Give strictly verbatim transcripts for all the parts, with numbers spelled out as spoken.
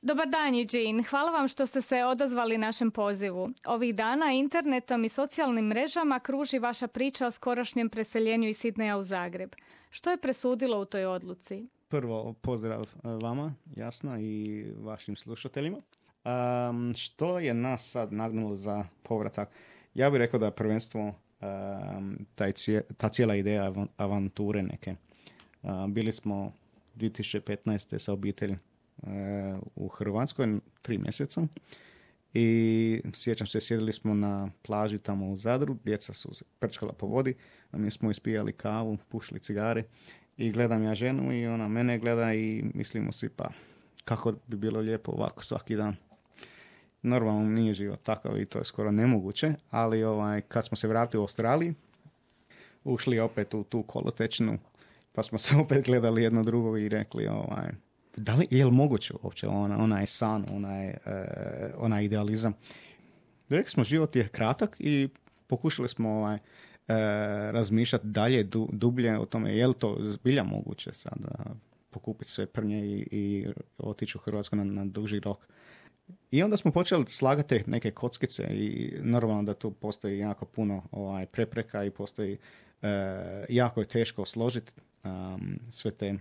Dobar dan, Eugene. Hvala vam što ste se odazvali našem pozivu. Ovih dana internetom i socijalnim mrežama kruži vaša priča o skorašnjem preseljenju iz Sidneja u Zagreb. Što je presudilo u toj odluci? Prvo, pozdrav vama, jasno, i vašim slušateljima. Um, što je nas sad nagnulo za povratak? Ja bih rekao da je prvenstvo um, taj cije, ta cijela ideja avanture neke. Uh, bili smo dvije tisuće petnaeste sa obitelji uh, u Hrvatskoj tri mjeseca i sjećam se, sjedili smo na plaži tamo u Zadru, djeca su se prčkala po vodi, a mi smo ispijali kavu, pušili cigare i gledam ja ženu i ona mene gleda i mislimo si pa kako bi bilo lijepo ovako svaki dan. Normalno nije život takav i to je skoro nemoguće, ali ovaj, kad smo se vratili u Australiji, ušli opet u tu kolotečnu, pa smo se opet gledali jedno drugo i rekli, ovaj, da li je li moguće uopće ona, onaj san, onaj, uh, onaj idealizam. Rekli smo, život je kratak i pokušali smo ovaj, uh, razmišljati dalje, du, dublje o tome, je li to zbilja moguće sada pokupiti sve prnje i, i otići u Hrvatsku na, na duži rok. I onda smo počeli slagati neke kockice i normalno da tu postoji jako puno ovaj, prepreka i postoji uh, jako je teško složiti um, sve te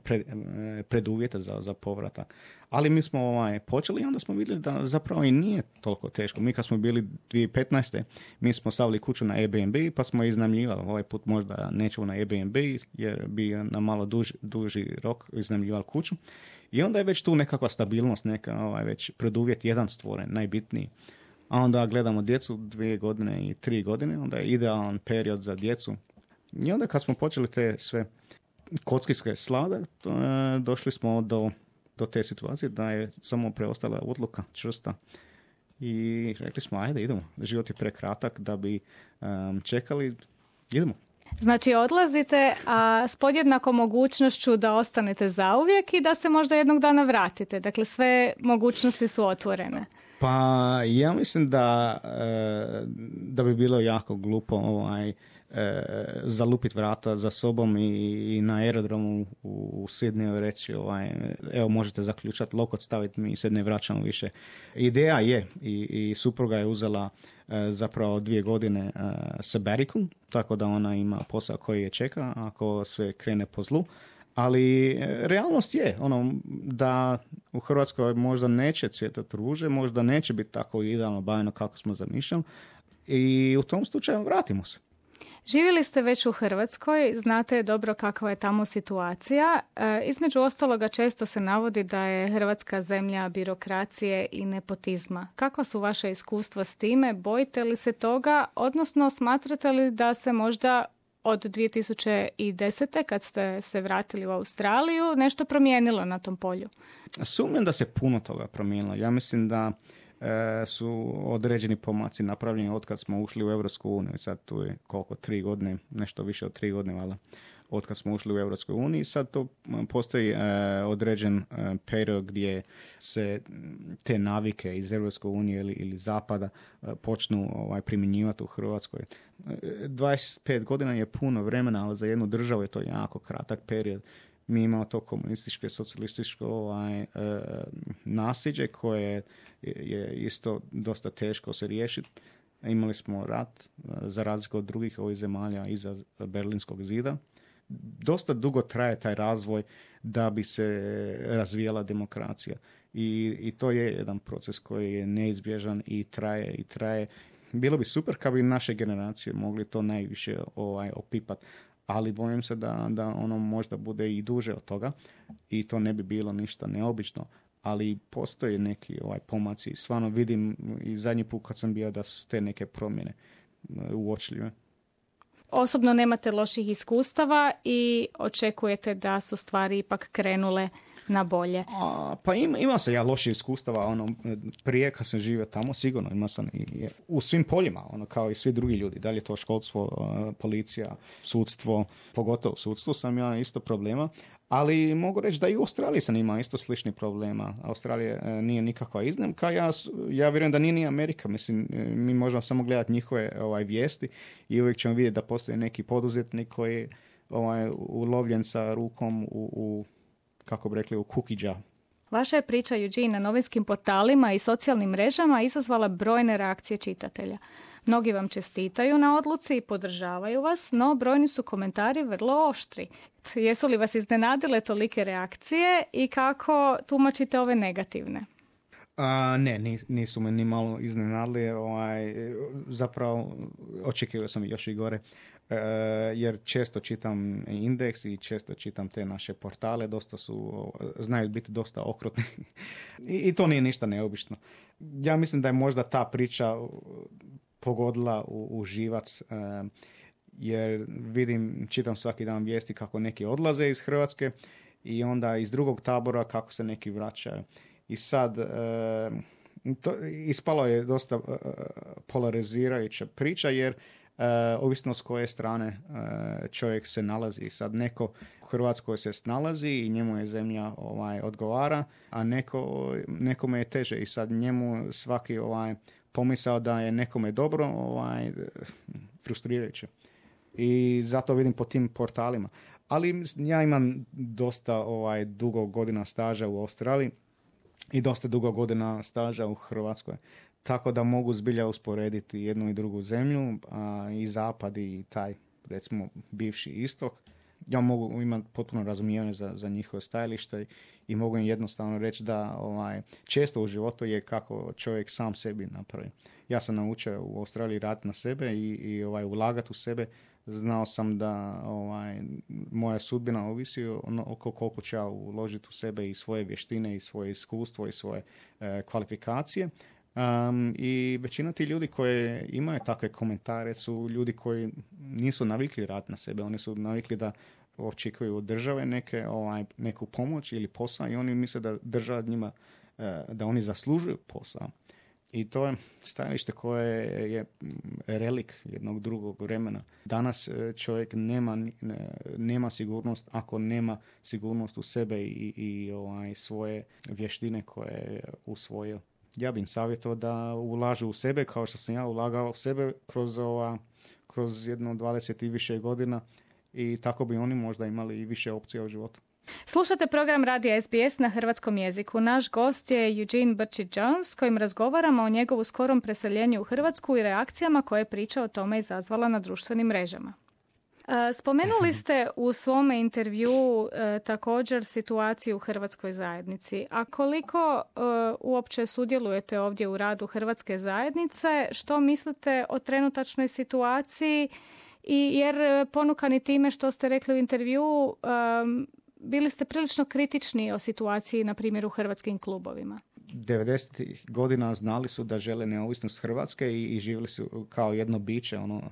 pred, preduvjete za, za povratak. Ali mi smo ovaj, počeli i onda smo vidjeli da zapravo i nije toliko teško. Mi kad smo bili dvije tisuće petnaeste mi smo stavili kuću na Airbnb pa smo iznajmljivali. Ovaj put možda nećemo na Airbnb jer bi na malo duž, duži rok iznajmljivali kuću. I onda je već tu nekakva stabilnost, neka ovaj, već preduvjet jedan stvoren, najbitniji. A onda gledamo djecu dvije godine i tri godine, onda je idealan period za djecu. I onda kad smo počeli te sve kockiske slade, to, e, došli smo do, do te situacije da je samo preostala odluka čvrsta. I rekli smo, ajde, idemo. Život je prekratak da bi um, čekali, idemo. Znači odlazite, a s podjednakom mogućnošću da ostanete zauvijek i da se možda jednog dana vratite. Dakle, sve mogućnosti su otvorene. Pa ja mislim da, da bi bilo jako glupo ovaj, zalupiti vrata za sobom i, i na aerodromu u, u Sidneju reći ovaj, evo možete zaključati lokot, staviti, mi se ne vraćamo više. Ideja je i, i supruga je uzela zapravo dvije godine sabbatical, tako da ona ima posao koji je čeka ako sve krene po zlu. Ali realnost je ono da u Hrvatskoj možda neće cvjetati ruže, možda neće biti tako idealno bajno kako smo zamišljali i u tom slučaju vratimo se. Živjeli ste već u Hrvatskoj, znate dobro kakva je tamo situacija. E, između ostaloga često se navodi da je Hrvatska zemlja birokracije i nepotizma. Kakva su vaše iskustva s time? Bojite li se toga? Odnosno, smatrate li da se možda od dvije tisuće desete kad ste se vratili u Australiju nešto promijenilo na tom polju? Sumnjam da se puno toga promijenilo. Ja mislim da e, su određeni pomaci napravljeni od kad smo ušli u Europsku uniju. Sad tu je koliko, tri godine, nešto više od tri godine, valjda, od kad smo ušli u Europsku uniju. Sad to postoji e, određen e, period gdje se te navike iz Europske unije ili, ili zapada e, počnu ovaj, primjenjivati u Hrvatskoj. dvadeset pet godina je puno vremena, ali za jednu državu je to jako kratak period. Mi imamo to komunističko, socijalističko ovaj, e, nasljeđe koje je, je isto dosta teško se riješiti. Imali smo rat, za razliku od drugih ovih zemalja iza Berlinskog zida. Dosta dugo traje taj razvoj da bi se razvijala demokracija. I, i to je jedan proces koji je neizbježan i traje i traje. Bilo bi super kad bi naše generacije mogli to najviše ovaj, opipati, ali bojim se da, da ono možda bude i duže od toga i to ne bi bilo ništa neobično, ali postoje neki ovaj, pomaci. Stvarno vidim i zadnji put kad sam bio da su te neke promjene uočljive. Osobno nemate loših iskustava i očekujete da su stvari ipak krenule na bolje. A, pa ima, ima se ja loših iskustava, ono, prije kad sam živio tamo, sigurno ima sam i u svim poljima, ono, kao i svi drugi ljudi, da li je to školstvo, policija, sudstvo, pogotovo sudstvo sam ja isto problema, ali mogu reći da i u Australiji sam imao isto slični problema. Australija e, nije nikakva iznimka, ja, ja vjerujem da nije ni Amerika, mislim, mi možemo samo gledati njihove ovaj, vijesti i uvijek ćemo vidjeti da postoji neki poduzetnik koji je ovaj, ulovljen sa rukom u, u kako bi rekli, u cookie jar. Vaša je priča, Eugene, na novinskim portalima i socijalnim mrežama izazvala brojne reakcije čitatelja. Mnogi vam čestitaju na odluci i podržavaju vas, no brojni su komentari vrlo oštri. Jesu li vas iznenadile tolike reakcije i kako tumačite ove negativne? A, ne, nisu me ni malo iznenadili. Ovaj, zapravo, očekivao sam još i gore. E, jer često čitam Indeks i često čitam te naše portale, dosta su, znaju biti dosta okrutni. I, I to nije ništa neobično. Ja mislim da je možda ta priča pogodila u, u živac, e, jer vidim, čitam svaki dan vijesti kako neki odlaze iz Hrvatske i onda iz drugog tabora kako se neki vraćaju. I sad, e, to, ispalo je dosta e, polarizirajuća priča, jer e, ovisno s koje strane e, čovjek se nalazi. Sad neko u Hrvatskoj se snalazi i njemu je zemlja ovaj, odgovara, a neko, nekome je teže i sad njemu svaki ovaj, pomisao da je nekome dobro ovaj, frustrirajuće. I zato vidim po tim portalima. Ali ja imam dosta ovaj, dugo godina staža u Australiji i dosta dugo godina staža u Hrvatskoj. Tako da mogu zbilja usporediti jednu i drugu zemlju, a i zapad i taj, recimo, bivši istok. Ja mogu imati potpuno razumijevanje za, za njihove stajalište i mogu im jednostavno reći da ovaj, često u životu je kako čovjek sam sebi napravi. Ja sam naučio u Australiji raditi na sebe i, i ovaj, ulagati u sebe. Znao sam da ovaj, moja sudbina ovisi oko koliko ću ja uložiti u sebe i svoje vještine i svoje iskustvo i svoje e, kvalifikacije. Um, I većina ti ljudi koji imaju takve komentare su ljudi koji nisu navikli raditi na sebe. Oni su navikli da očekuju od države neke, ovaj, neku pomoć ili posao i oni misle da država njima, e, da oni zaslužuju posao. I to je stajalište koje je relik jednog drugog vremena. Danas čovjek nema, nema sigurnost ako nema sigurnost u sebe i, i ovaj, svoje vještine koje je usvojio. Ja bih savjetovao da ulažu u sebe kao što sam ja ulagao u sebe kroz, ova, kroz jedno dvadeset i više godina i tako bi oni možda imali i više opcija u životu. Slušate program Radija S B S na hrvatskom jeziku. Naš gost je Eugene Brčić-Jones s kojim razgovaramo o njegovu skorom preseljenju u Hrvatsku i reakcijama koje je priča o tome izazvala na društvenim mrežama. Spomenuli ste u svome intervju e, također situaciju u hrvatskoj zajednici. A koliko e, uopće sudjelujete ovdje u radu hrvatske zajednice, što mislite o trenutačnoj situaciji? I jer ponukani time što ste rekli u intervju, e, bili ste prilično kritični o situaciji, na primjer, u hrvatskim klubovima. devedesetih godina znali su da žele neovisnost Hrvatske i, i živjeli su kao jedno biće ono,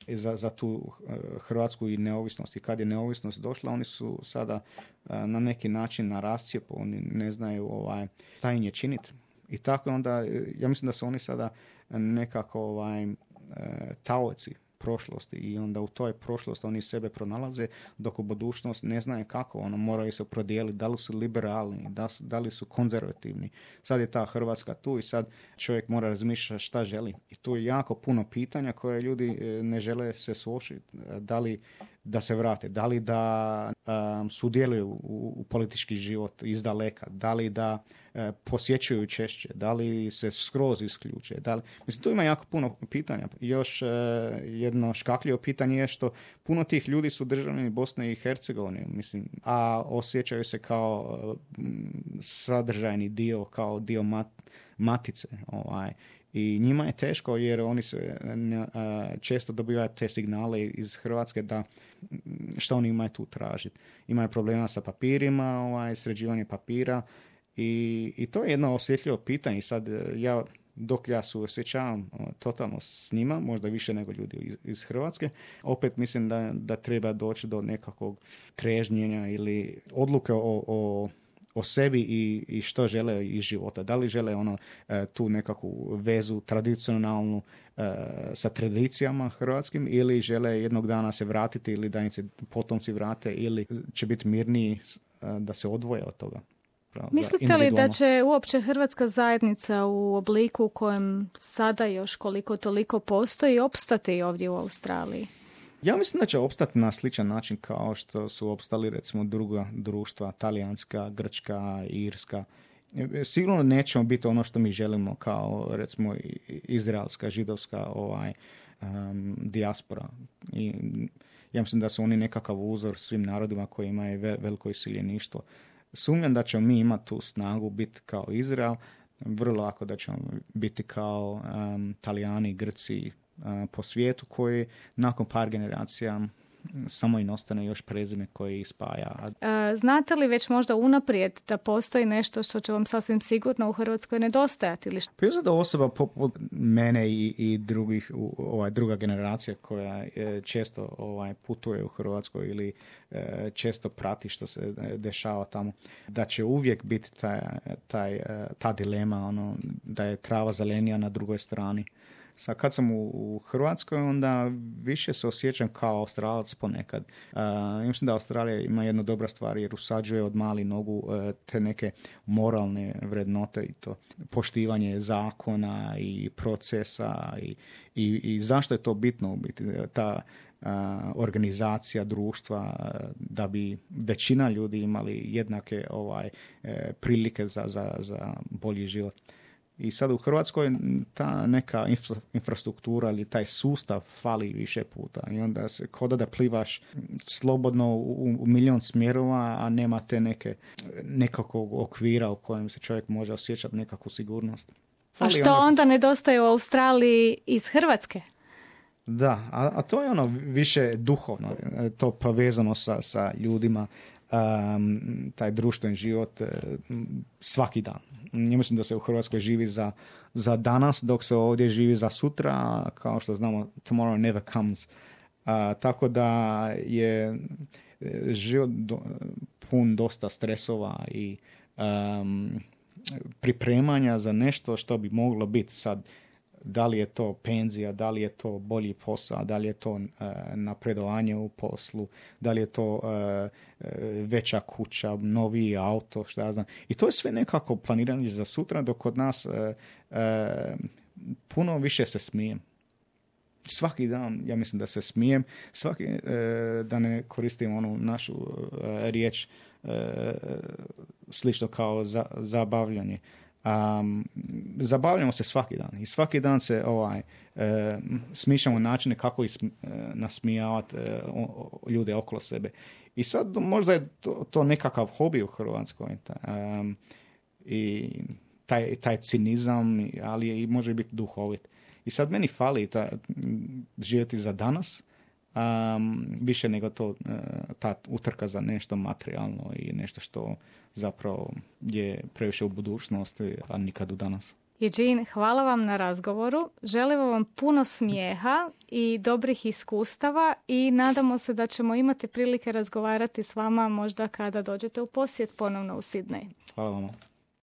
za, za tu Hrvatsku i neovisnost. I kad je neovisnost došla, oni su sada na neki način na rascijepu, oni ne znaju ovaj, šta im je činiti. I tako onda, ja mislim da su oni sada nekako ovaj, taoci prošlosti i onda u toj prošlosti oni sebe pronalaze, dok u budućnost ne znaju kako, ono, moraju se prodijeliti, da li su liberalni, da, da li su konzervativni. Sad je ta Hrvatska tu i sad čovjek mora razmišljati šta želi. I tu je jako puno pitanja koje ljudi ne žele se suočiti. Da li da se vrate, da li da um, sudjeluju u, u politički život iz daleka, da li da uh, posjećuju češće, da li se skroz isključe. Da li... Mislim, tu ima jako puno pitanja. Još uh, jedno škakljivo pitanje je što puno tih ljudi su državljani Bosne i Hercegovine, mislim, a osjećaju se kao uh, sadržajni dio, kao dio mat, matice. Ovaj. I njima je teško jer oni se uh, često dobivaju te signale iz Hrvatske da što oni imaju tu tražiti. Imaju problema sa papirima, ovaj, sređivanje papira i, i to je jedno osjetljivo pitanje. Sad ja, dok ja suosjećavam totalno s njima, možda više nego ljudi iz, iz Hrvatske, opet mislim da, da treba doći do nekakvog trežnjenja ili odluke o, o o sebi i, i što žele iz života. Da li žele ono tu nekakvu vezu tradicionalnu sa tradicijama hrvatskim ili žele jednog dana se vratiti ili da im se potomci vrate ili će biti mirniji da se odvoje od toga. Mislite li da će uopće hrvatska zajednica u obliku u kojem sada još koliko toliko postoji opstati ovdje u Australiji? Ja mislim da će opstati na sličan način kao što su opstali recimo druga društva, talijanska, grčka, irska sigurno nećemo biti ono što mi želimo kao, recimo, izraelska, židovska ovaj, um, dijaspora. I ja mislim da su oni nekakav uzor svim narodima koji imaju ve- veliko iseljeništvo. Sumnjam da ćemo mi imati tu snagu biti kao Izrael, vrlo lako da ćemo biti kao um, Talijani, Grci uh, po svijetu koji nakon par generacija samo im ostane još prezime koji ih spaja. E, znate li već možda unaprijed da postoji nešto što će vam sasvim sigurno u Hrvatskoj nedostajati? Ili... Priuzda da osoba poput mene i, i drugih, ovaj, druga generacija koja e, često ovaj, putuje u Hrvatskoj ili e, često prati što se dešava tamo, da će uvijek biti taj, taj, ta dilema, ono, da je trava zelenija na drugoj strani. Sad, kad sam u, u Hrvatskoj, onda više se osjećam kao Australac ponekad. Uh, mislim da Australija ima jednu dobra stvar jer usađuje od mali nogu uh, te neke moralne vrednote i to poštivanje zakona i procesa i, i, i zašto je to bitno u biti, ta uh, organizacija društva uh, da bi većina ljudi imali jednake ovaj, uh, prilike za, za, za bolji život. I sad u Hrvatskoj ta neka infra, infrastruktura ili taj sustav fali više puta. I onda se koda da plivaš slobodno u, u milion smjerova, a nema te neke, nekakvog okvira u kojem se čovjek može osjećati nekakvu sigurnost. Fali a što ono... onda nedostaje u Australiji iz Hrvatske? Da, a, a to je ono više duhovno, to povezano sa, sa ljudima. Um, taj društveni život uh, svaki dan. Ja mislim da se u Hrvatskoj živi za, za danas, dok se ovdje živi za sutra, kao što znamo, tomorrow never comes. Uh, tako da je život do, pun dosta stresova i um, pripremanja za nešto što bi moglo biti sad. Da li je to penzija, da li je to bolji posao, da li je to uh, napredovanje u poslu, da li je to uh, veća kuća, novi auto, što ja znam. I to je sve nekako planiranje za sutra, dok kod nas uh, uh, puno više se smijem. Svaki dan, ja mislim da se smijem, svaki, uh, da ne koristim onu našu uh, riječ uh, slično kao za, zabavljanje. Um, zabavljamo se svaki dan i svaki dan se ovaj, e, smišljamo načine kako ih e, nasmijavati e, ljude okolo sebe. I sad možda je to, to nekakav hobi u Hrvatskoj. Um, I taj, taj cinizam, ali je, i može biti duhovit. I sad meni fali ta, živjeti za danas, um, više nego to, ta utrka za nešto materijalno i nešto što zapravo je previše u budućnosti, a nikad u danas. Eugene, hvala vam na razgovoru. Želimo vam puno smijeha i dobrih iskustava i nadamo se da ćemo imati prilike razgovarati s vama možda kada dođete u posjet ponovno u Sidney. Hvala vam.